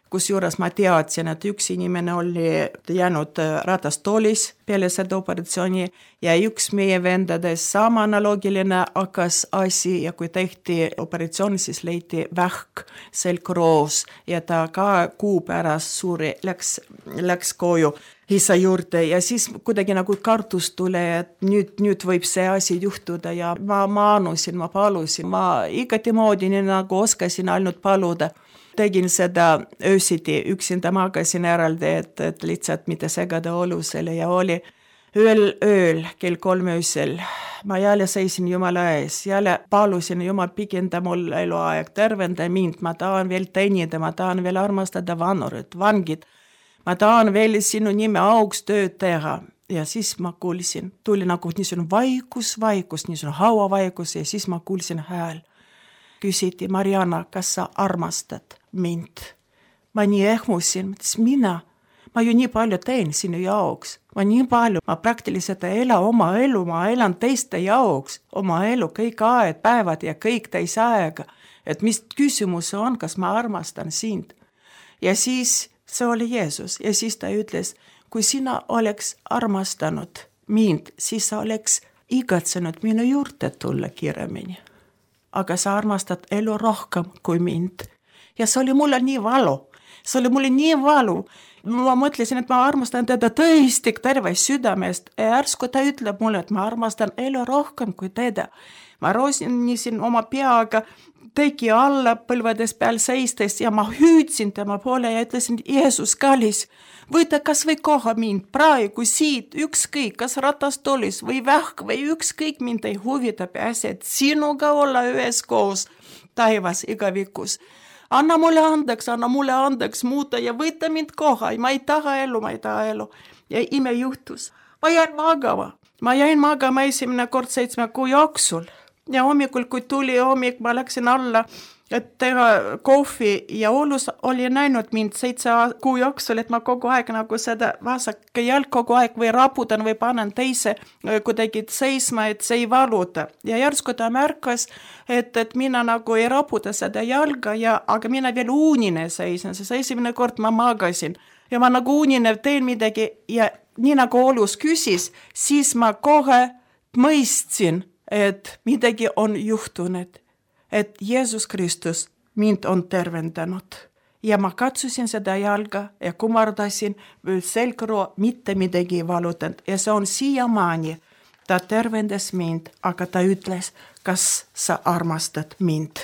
kusjuures ma teadsin, et üks inimene oli jäänud ratastoolis peale seda operatsiooni ja üks meie vendades sama analoogiline hakkas asi ja kui tehti operatsioon, siis leiti vähk selgroos ja ta ka kuu pärast suuri läks koju isa juurde ja siis kuidagi nagu kartus tuli, et nüüd võib see asi juhtuda ja ma anusin, ma palusin, ma igati moodi nii nagu oskasin ainult paluda. Tegin seda öösiti, üksinda magasin eraldi, et lihtsalt mitte segada olusele ja oli ööl kell 3 öösel. Ma jälle seisin Jumala ees, jälle palusin Jumal pikenda mul eluaeg, tervenda mind, ma tahan veel teenida, ma tahan veel armastada vanurid, vangid. Ma tahan veel sinu nime auks tööd teha ja siis ma kuulsin, tuli nagu niisugune vaikus, niisugune hauavaikus ja siis ma kuulsin hääl. Küsiti, Marianna, kas sa armastad mind? Ma nii ehmusin, ma ju nii palju teen sinu jaoks, ma praktiliselt ei ela oma elu, ma elan teiste jaoks, oma elu, kõik aed, päevad ja kõik täis aega, et mis küsimus on, kas ma armastan sind. Ja siis see oli Jeesus ja siis ta ütles, kui sina oleks armastanud mind, siis sa oleks igatsenud minu juurde tulla kiiremini. Aga sa armastad elu rohkem kui mind. Ja see oli mulle nii valu. Ma mõtlesin, et ma armastan teda tõesti terve südamest. Ja järsku ta ütleb mulle, et ma armastan elu rohkem kui teda. Ma rosinisin oma peaga tegi alla põlvedes peal seistes ja ma hüüdsin tema poole ja ütlesin, Jeesus kallis, võta kas või koha mind praegu siit, ükskõik, kas ratastoolis või vähk või ükskõik mind ei huvita peasi, et sinuga olla üheskoos taivas igavikus. Anna mulle andeks muuta ja võta mind koha, ma ei taha elu. Ja ime juhtus. Ma jäin magama esimene kord 7 kuu jooksul. Ja hommikul, kui tuli hommik, ma läksin alla, et teha kohvi ja Oulus oli näinud mind 7 kuu jooksul, et ma kogu aeg nagu seda vasak jalg kogu aeg või raputan või panen teise kuidagi seisma, et see ei valuta. Ja järsku ta märkas, et mina nagu ei raputa seda jalga, aga mina veel uunine seisin, sest esimene kord ma magasin. Ja ma nagu uunine teen midagi ja nii nagu Oulus küsis, siis ma kohe mõistsin, et midagi on juhtunud, et Jeesus Kristus mind on tervendanud. Ja ma katsusin seda jalga ja kumardasin selgroo, mitte midagi ei valutanud. Ja see on siiamaani. Ta tervendas mind, aga ta ütles, kas sa armastad mind.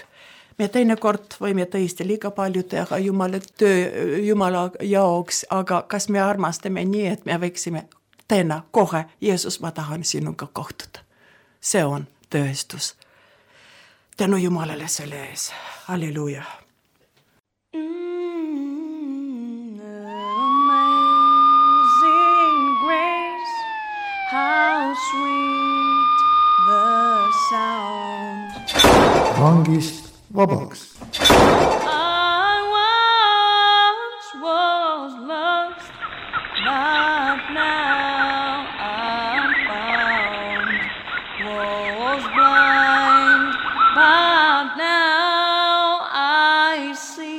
Me teinekord võime tõesti liiga palju teha Jumala jaoks, aga kas me armastame nii, et me võiksime täna kohe, Jeesus, ma tahan sinuga kohtuda. See on tõestus. Tänu Jumalale selle ees. Halleluja. Amazing grace, how sweet the sound. Vangist vabaks. I once was lost, but now I'm found. Was blind, but now I see.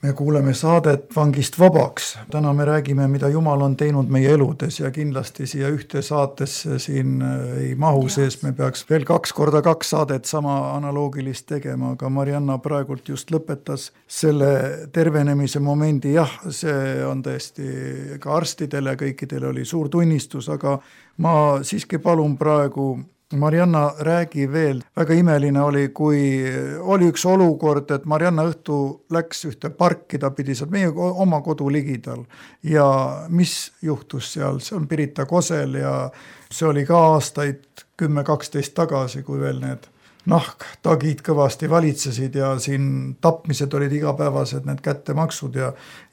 Me kuuleme saadet Vangist vabaks. Täna me räägime, mida Jumal on teinud meie eludes ja kindlasti siia ühte saatesse siin ei mahu sees. Me peaks veel 2x2 saadet sama analoogilist tegema, aga Marianna praegult just lõpetas selle tervenemise momendi. Jah, see on tõesti ka arstidele ja kõikidele oli suur tunnistus, aga ma siiski palun praegu Marianna, räägi veel. Väga imeline oli, kui oli üks olukord, et Marianna õhtu läks ühte parki, ta pidi seal meie oma kodu ligidal. Ja mis juhtus seal? See on Pirita Kosel ja see oli ka aastaid 10-12 tagasi, kui veel need nahktagid kõvasti valitsesid ja siin tapmised olid igapäevased, need kättemaksud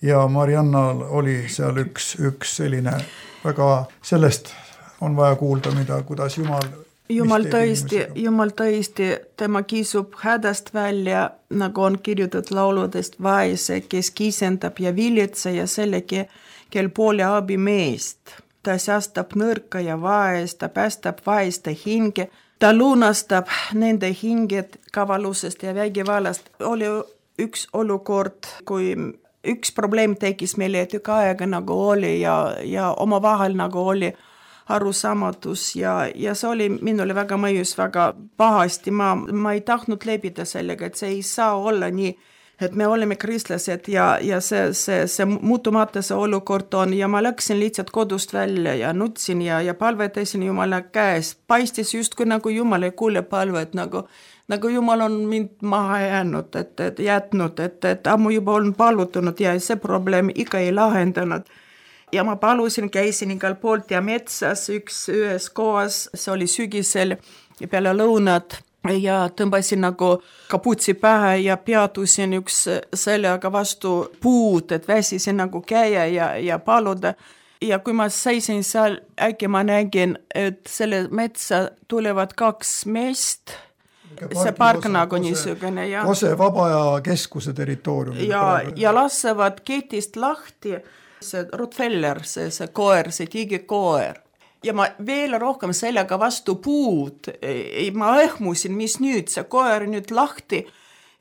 ja Mariannal oli seal üks selline väga, sellest on vaja kuulda, kuidas Jumal tõesti, tema kisub hädast välja, nagu on kirjutatud lauludest, vaese, kes kisendab ja vilitse ja sellegi, kel poole abi meest. Ta säästab nõrka ja vaest, ta päästab vaeste hinge, ta lunastab nende hinged kavalusest ja vägivallast. Oli üks olukord, kui üks probleem tekis meile tükk aega nagu oli ja omavahel nagu oli arusaamatus ja see oli minule väga mõjus, väga pahasti. Ma ei tahtnud läbida sellega, et see ei saa olla nii, et me oleme kristlased ja see muutumata see olukord on ja ma läksin lihtsalt kodust välja ja nutsin ja palvetasin Jumala käes. Paistis justkui nagu Jumal ei kuule palvet, nagu Jumal on mind maha jätnud, et ammu juba on palutanud ja see probleem ikka ei lahendanud. Ja ma palusin, käisin igal poolt ja metsas ühes kohas, see oli sügisel ja peale lõunat ja tõmbasin nagu kaputsi pähe ja peatusin üks sellega vastu puud, et väsisin nagu käia ja paluda. Ja kui ma seisin seal, äkki ma nägin, et selle metsa tulevad 2 meest, see park nagu niisugune. Kose Vabaja keskuse territoorium. Ja lassevad ketist lahti. See Rottweiler, see koer, see tigikoer. Ja ma veel rohkem sellega vastu puud. Ma ehmusin, mis nüüd, see koer nüüd lahti.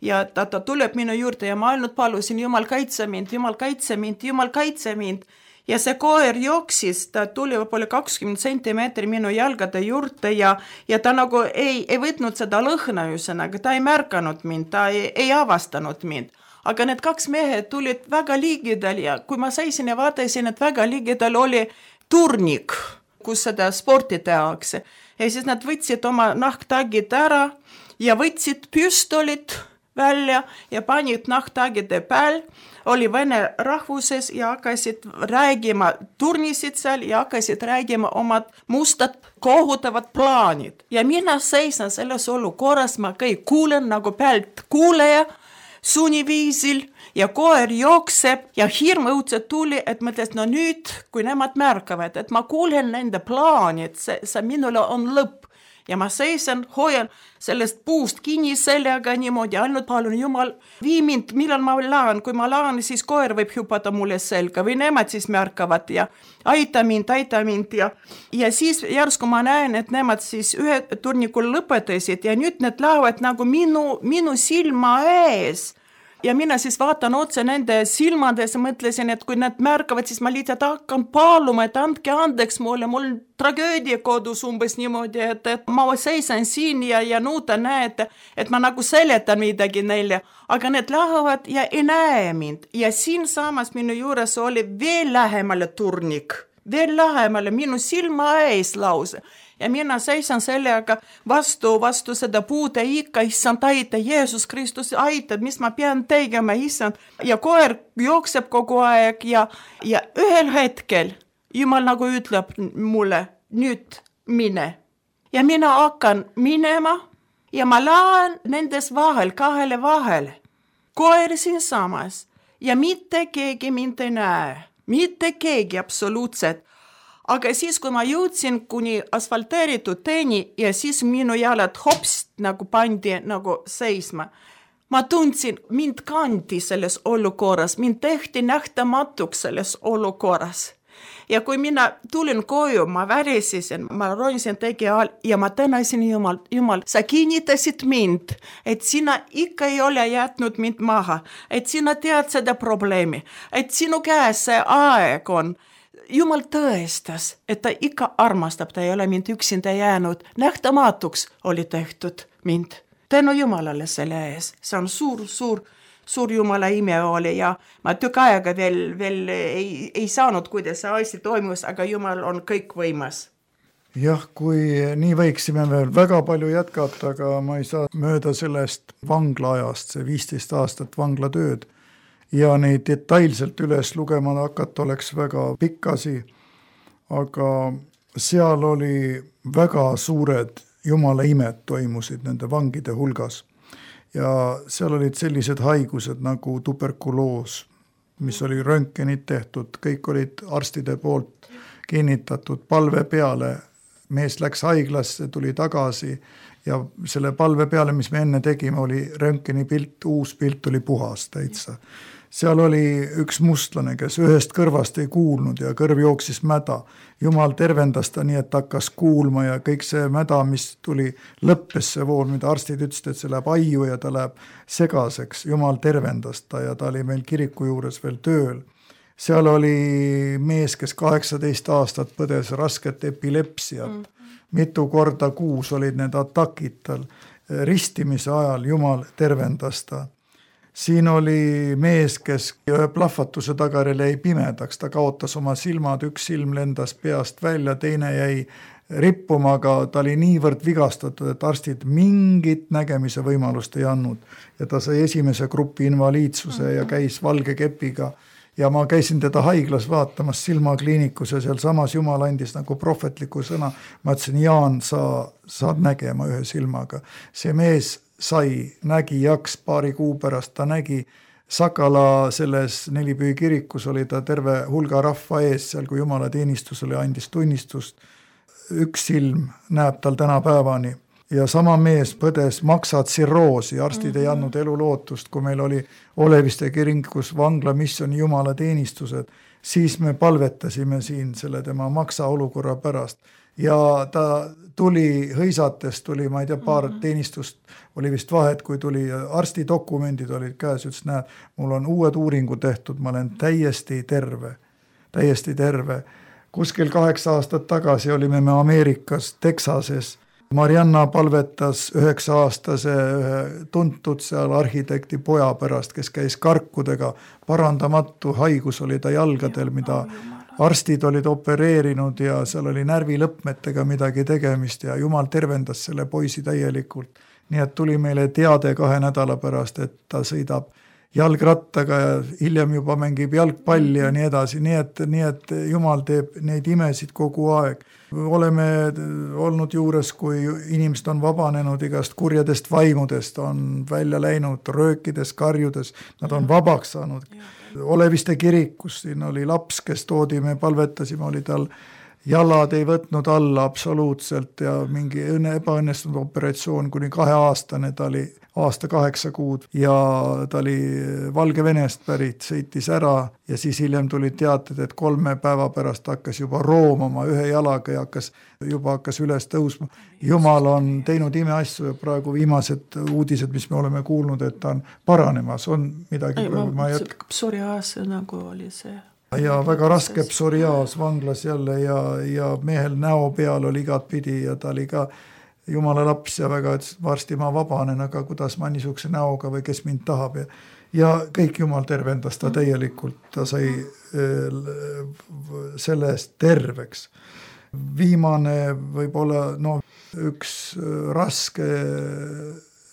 Ja ta tuleb minu juurde ja ma ainult palusin, Jumal kaitse mind, Jumal kaitse mind, Jumal kaitse mind. Ja see koer jooksis, ta tuli võib-olla 20 centimeetri minu jalgade juurde ja ta nagu ei võtnud seda lõhna üsõnaga, ta ei märkanud mind, ta ei avastanud mind. Aga need 2 mehed tulid väga ligidal ja kui ma seisin ja vaatasin, et väga ligidal oli turnik, kus seda sporti tehakse. Ja siis nad võtsid oma nahktagid ära ja võtsid püstolit välja ja panid nahktagide peal, oli vene rahvuses ja hakkasid räägima, turnisid seal ja hakkasid räägima omad mustad kohutavad plaanid. Ja mina seisan selles olukorras, ma kõik kuulen nagu pealt kuuleja, sunniviisil ja koer jookseb ja hirm õudselt tuli, et mõtles, no nüüd, kui nemad märkavad, et ma kuulen nende plaani, et see minule on lõpp. Ja ma seisan, hoian sellest puust kinni sellega niimoodi, ainult palun Jumal, vii mind, millal ma laan, kui ma laan, siis koer võib hüpata mulle selga või nemad siis märkavad ja aita mind ja siis järsku ma näen, et nemad siis ühe turnikul lõpetasid ja nüüd need lähevad nagu minu silma ees Ja mina siis vaatan otse nende silmades ja mõtlesin, et kui nad märkavad, siis ma lihtsalt hakkan paluma, et andke andeks mulle, mul tragöödia kodus umbes niimoodi, et ma seisan siin ja nuutan, näed, et ma nagu seletan midagi neile, aga need lähevad ja ei näe mind. Ja siin samas minu juures oli veel lähemale turnik, veel lähemale minu silma ees lause. Ja mina seisan sellega vastu seda puude ikka, issand, aita, Jeesus Kristus, aita, mis ma pean tegema, issand. Ja koer jookseb kogu aeg ja ühel hetkel Jumal nagu ütleb mulle, nüüd mine. Ja mina hakkan minema ja ma lähen nendes kahele vahele. Koer siin samas ja mitte keegi mind ei näe, mitte keegi absoluutselt. Aga siis, kui ma jõudsin kuni asfalteeritud teeni ja siis minu jalad hops nagu pandi nagu seisma, ma tundsin, mind kandi selles olukorras, mind tehti nähtamatuks selles olukorras. Ja kui mina tulin koju, ma värisisin, ma roisin tegi all ja ma tänasin Jumal, sa kinnitasid mind, et sina ikka ei ole jätnud mind maha, et sina tead seda probleemi, et sinu käes see aeg on. Jumal tõestas, et ta ikka armastab, ta ei ole mind üksinda jäänud, nähtamatuks oli tehtud mind. Tänu Jumalale selle ees, see on suur Jumala ime oli ja ma tükk aega veel ei saanud, kuidas see asi toimus, aga Jumal on kõik võimas. Jah, kui nii võiksime veel väga palju jätkata, aga ma ei saa mööda sellest vanglaajast, see 15 aastat vanglatööd. Ja neid detailselt üles lugema hakata oleks väga pikkasi, aga seal oli väga suured Jumala imed toimusid nende vangide hulgas. Ja seal olid sellised haigused nagu tuberkuloos, mis oli röntgenid tehtud, kõik olid arstide poolt kinnitatud palve peale. Mees läks haiglasse, tuli tagasi ja selle palve peale, mis me enne tegime, oli röntgeni pilt, uus pilt oli puhas täitsa. Seal oli üks mustlane, kes ühest kõrvast ei kuulnud ja kõrv jooksis mäda. Jumal tervendas ta nii, et hakkas kuulma ja kõik see mäda, mis tuli lõppes see vool, mida arstid ütlesid, et see läheb aiu ja ta läheb segaseks. Jumal tervendas ta ja ta oli meil kiriku juures veel tööl. Seal oli mees, kes 18 aastat põdes rasket epilepsiat. Mitu korda kuus olid need atakid tal. Ristimise ajal Jumal tervendas ta. Siin oli mees, kes ühe plahvatuse tagajärjel jäi pimedaks, ta kaotas oma silmad, üks silm lendas peast välja, teine jäi rippuma, aga ta oli niivõrd vigastatud, et arstid mingit nägemise võimalust ei andnud. Ja ta sai esimese grupi invaliidsuse ja käis valge kepiga. Ja ma käisin teda haiglas vaatamas silmakliinikus ja seal samas Jumal andis nagu prohvetliku sõna. Ma ütlesin, Jaan, sa saad nägema ühe silmaga. See mees nägi jaks paari kuu pärast, ta nägi Sakala selles Nelipüü kirikus, oli ta terve hulga rahva ees, seal kui Jumala teenistusele andis tunnistust. Üks silm näeb tal tänapäevani ja sama mees põdes maksatsirroosi, arstid ei andnud elulootust, kui meil oli Oleviste kirikus vangla missiooni Jumala teenistused, siis me palvetasime siin selle tema maksaolukorra pärast. Ja ta tuli hõisates, ma ei tea, paar teenistust oli vist vahet, kui tuli arsti dokumendid olid käes, ütles, näed, mul on uued uuringu tehtud, ma olen täiesti terve. Kuskil 8 aastat tagasi olime me Ameerikas, Texases. Marianna palvetas 9-aastase tuntud seal arhitekti poja pärast, kes käis karkudega, parandamatu haigus oli ta jalgadel, mida arstid olid opereerinud ja seal oli närvilõpmetega midagi tegemist ja Jumal tervendas selle poisi täielikult. Nii et tuli meile teade 2 nädala pärast, et ta sõidab jalgrattaga ja hiljem juba mängib jalgpalli ja nii edasi. Nii et Jumal teeb neid imesid kogu aeg. Oleme olnud juures, kui inimesed on vabanenud igast kurjadest vaimudest, on välja läinud röökides, karjudes, nad on vabaks saanud. Oleviste kirikus, siin oli laps, kes toodi, me palvetasime, oli tal jalad ei võtnud alla absoluutselt ja mingi ebaõnnestunud operatsioon kuni 2-aastane, ta oli aasta 8 kuud ja ta oli Valgevenest pärit, sõitis ära ja siis hiljem tulid teated, et 3 päeva pärast hakkas juba roomama 1 jalaga ja hakkas üles tõusma. Jumal on teinud imeasju ja praegu viimased uudised, mis me oleme kuulnud, et ta on paranemas, on midagi. Psoriaas nagu oli see. Ja väga raske psoriaas vanglas jälle ja mehel näo peal oli igat pidi ja ta oli ka Jumala laps ja väga, et varsti ma vabanen, aga kuidas ma niisuguse näoga või kes mind tahab ja kõik Jumal tervendas ta täielikult, ta sai selle eest terveks. Viimane võib-olla üks raske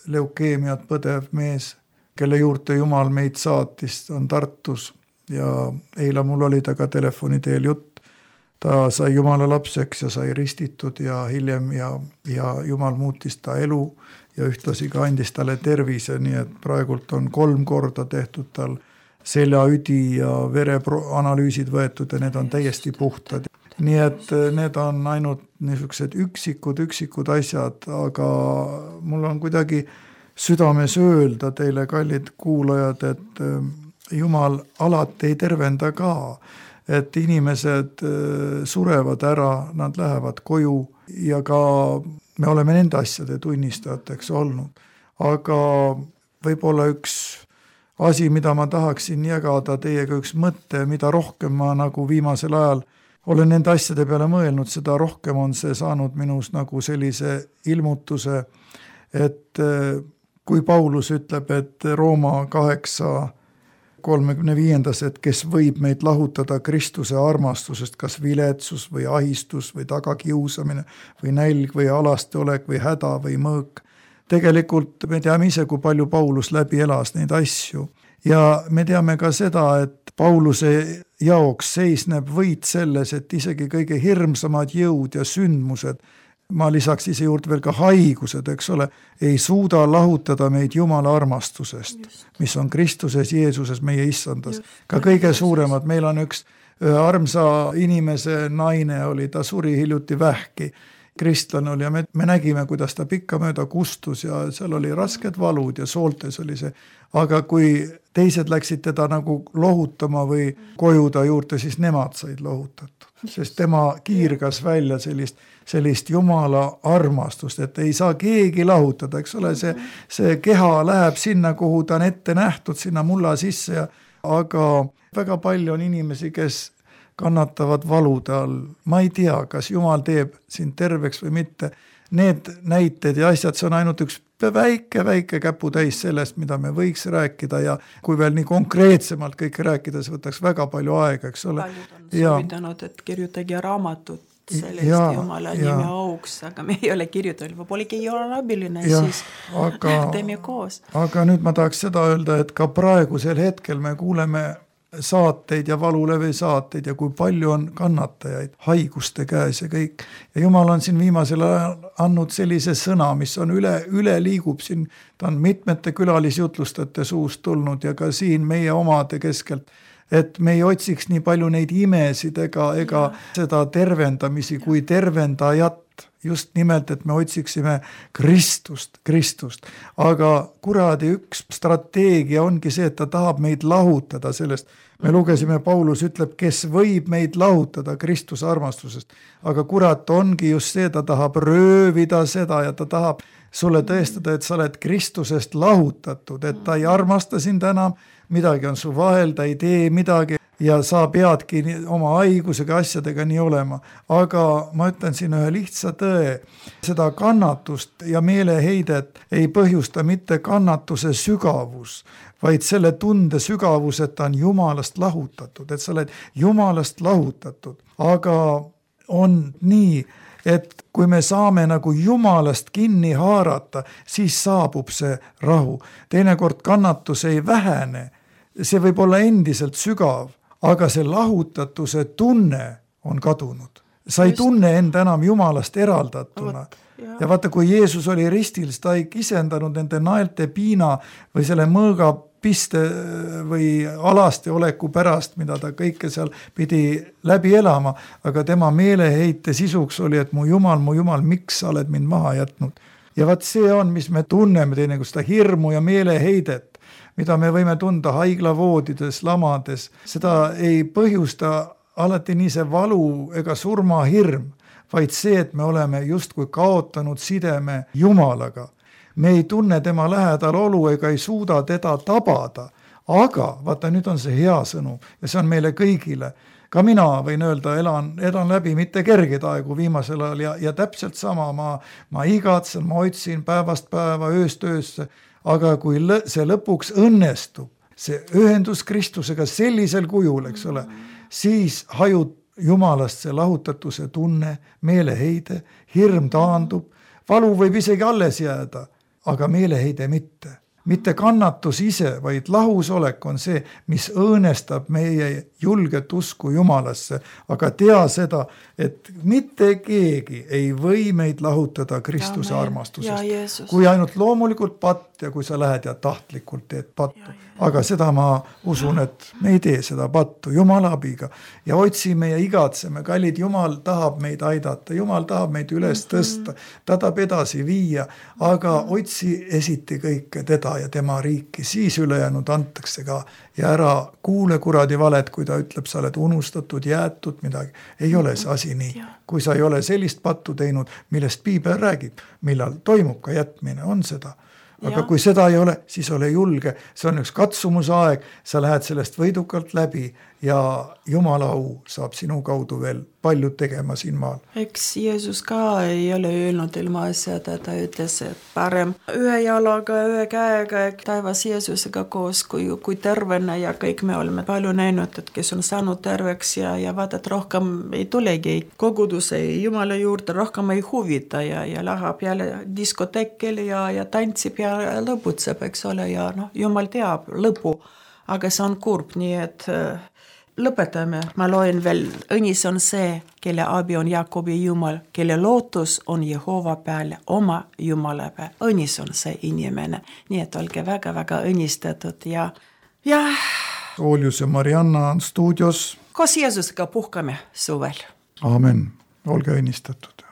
leukeemiat põdev mees, kelle juurde Jumal meid saatis, on Tartus ja eile mul oli ta ka telefoni teel jutt. Ta sai Jumala lapseks ja sai ristitud ja hiljem ja Jumal muutis ta elu ja ühtlasi ka andis talle tervise, nii et praegult on 3 korda tehtud tal seljaüdi ja vereanalüüsid võetud ja need on täiesti puhtad. Nii et need on ainult niisugused üksikud asjad, aga mul on kuidagi südames öelda teile, kallid kuulajad, et Jumal alati ei tervenda ka. Et inimesed surevad ära, nad lähevad koju ja ka me oleme nende asjade tunnistajateks olnud. Aga võib-olla üks asi, mida ma tahaksin jagada teiega, üks mõte, mida rohkem ma nagu viimasel ajal olen nende asjade peale mõelnud, seda rohkem on see saanud minus nagu sellise ilmutuse, et kui Paulus ütleb, et Rooma 8:35, et kes võib meid lahutada Kristuse armastusest, kas viletsus või ahistus või tagakiusamine või nälg või alasteolek või häda või mõõk. Tegelikult me teame ise, kui palju Paulus läbi elas neid asju ja me teame ka seda, et Pauluse jaoks seisneb võit selles, et isegi kõige hirmsamad jõud ja sündmused, ma lisaks ise juurde veel ka haigused, eks ole, ei suuda lahutada meid Jumala armastusest, mis on Kristuses Jeesuses meie issandas. Ka kõige suuremad, meil on üks armsa inimese naine oli, ta suri hiljuti vähki, kristlane oli ja me nägime, kuidas ta pikkamööda kustus ja seal oli rasked valud ja sooltes oli see, aga kui teised läksid teda nagu lohutama või koju ta juurde, siis nemad said lohutatud, sest tema kiirgas välja sellist Jumala armastust, et ei saa keegi lahutada, eks ole, see keha läheb sinna, kuhu ta on ette nähtud, sinna mulla sisse, aga väga palju on inimesi, kes kannatavad valude all. Ma ei tea, kas Jumal teeb sind terveks või mitte. Need näited ja asjad, see on ainult üks väike käputäis sellest, mida me võiks rääkida ja kui veel nii konkreetsemalt kõike rääkida, see võtaks väga palju aega, eks ole. Paljud on soovitanud, et kirjutage raamatut sellest Jumala nime auks, aga me ei ole kirjutanud, võib-olla ei ole abiline, siis teeme koos. Aga nüüd ma tahaks seda öelda, et ka praegusel hetkel me kuuleme saateid ja valulevi saateid ja kui palju on kannatajaid haiguste käes ja kõik. Ja Jumal on siin viimasel ajal andnud sellise sõna, mis on üle liigub siin, ta on mitmete külalisjutlustajate suust tulnud ja ka siin meie omade keskelt, et me ei otsiks nii palju neid imesid ega seda tervendamisi kui tervendajat. Just nimelt, et me otsiksime Kristust. Aga kuradi üks strateegia ongi see, et ta tahab meid lahutada sellest. Me lugesime, Paulus ütleb, kes võib meid lahutada Kristuse armastusest. Aga kurat ongi just see, ta tahab röövida seda ja ta tahab sulle tõestada, et sa oled Kristusest lahutatud, et ta ei armasta sind enam, midagi on su vahel, ta ei tee midagi. Ja sa peadki oma haigusega asjadega nii olema. Aga ma ütlen siin ühe lihtsa tõe, seda kannatust ja meeleheidet ei põhjusta mitte kannatuse sügavus, vaid selle tunde sügavus, et ta on Jumalast lahutatud, et sa oled Jumalast lahutatud. Aga on nii, et kui me saame nagu Jumalast kinni haarata, siis saabub see rahu. Teinekord kannatus ei vähene, see võib olla endiselt sügav. Aga see lahutatuse tunne on kadunud. Sa ei tunne enda enam Jumalast eraldatuna. Ja vaata, kui Jeesus oli ristil, ta ei kisendanud nende naelte piina või selle mõõga piste või alasti oleku pärast, mida ta kõike seal pidi läbi elama, aga tema meeleheite sisuks oli, et mu Jumal, miks sa oled mind maha jätnud. Ja vaat see on, mis me tunneme teinekord, seda hirmu ja meeleheidet, mida me võime tunda haiglavoodides, lamades, seda ei põhjusta alati nii see valu ega surmahirm, vaid see, et me oleme justkui kaotanud sideme Jumalaga. Me ei tunne tema lähedal olu ega ei suuda teda tabada, aga vaata, nüüd on see hea sõnum ja see on meile kõigile. Ka mina võin öelda, elan läbi mitte kergeid aegu viimasel ajal ja täpselt sama, ma igatsen, ma otsin päevast päeva, ööst öösse, aga kui see lõpuks õnnestub, see ühendus Kristusega sellisel kujul, eks ole, siis hajub Jumalast see lahutatuse tunne, meeleheide, hirm taandub, valu võib isegi alles jääda, aga meeleheide mitte. Mitte kannatus ise, vaid lahusolek on see, mis õõnestab meie julget usku Jumalasse, aga tea seda, et mitte keegi ei või meid lahutada Kristuse armastusest. Kui ainult loomulikult patt ja kui sa lähed ja tahtlikult teed pattu. Aga seda ma usun, et me ei tee seda pattu Jumala abiga ja otsime ja igatseme. Kallid, Jumal tahab meid aidata, Jumal tahab meid üles tõsta, ta tahab edasi viia, aga otsi esiti kõike teda ja tema riiki, siis ülejäänud antakse ka ja ära kuule kuradi valet, kui ta ütleb, sa oled unustatud, jäetud midagi. Ei ole see asi nii. Kui sa ei ole sellist pattu teinud, millest Piibel räägib, millal toimub ka jätmine, on seda. Aga kui seda ei ole, siis ole julge, see on üks katsumusaeg, sa lähed sellest võidukalt läbi ja Jumala au saab sinu kaudu veel paljud tegema siin maal. Eks Jeesus ka ei ole öelnud ilma asjada, ta ütles, et parem ühe jalaga, ühe käega taevas Jeesusega koos, kui tervena ja kõik me oleme palju näinud, et kes on saanud terveks ja vaata, et rohkem ei tulegi koguduse Jumala juurde, rohkem ei huvita ja läheb jälle diskotekil ja tantsib ja lõputseb, eks ole, ja Jumal teab lõpu, aga see on kurb, nii et lõpetame. Ma loen veel, õnnis on see, kelle abi on Jakobi Jumal, kelle lootus on Jehova peale, oma Jumala peale. Õnnis on see inimene, nii et olge väga-väga õnnistatud ja Oljus ja Marianna on stuudios. Koos Jeesusega puhkame suvel. Aamen, olge õnnistatud.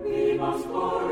Vimas por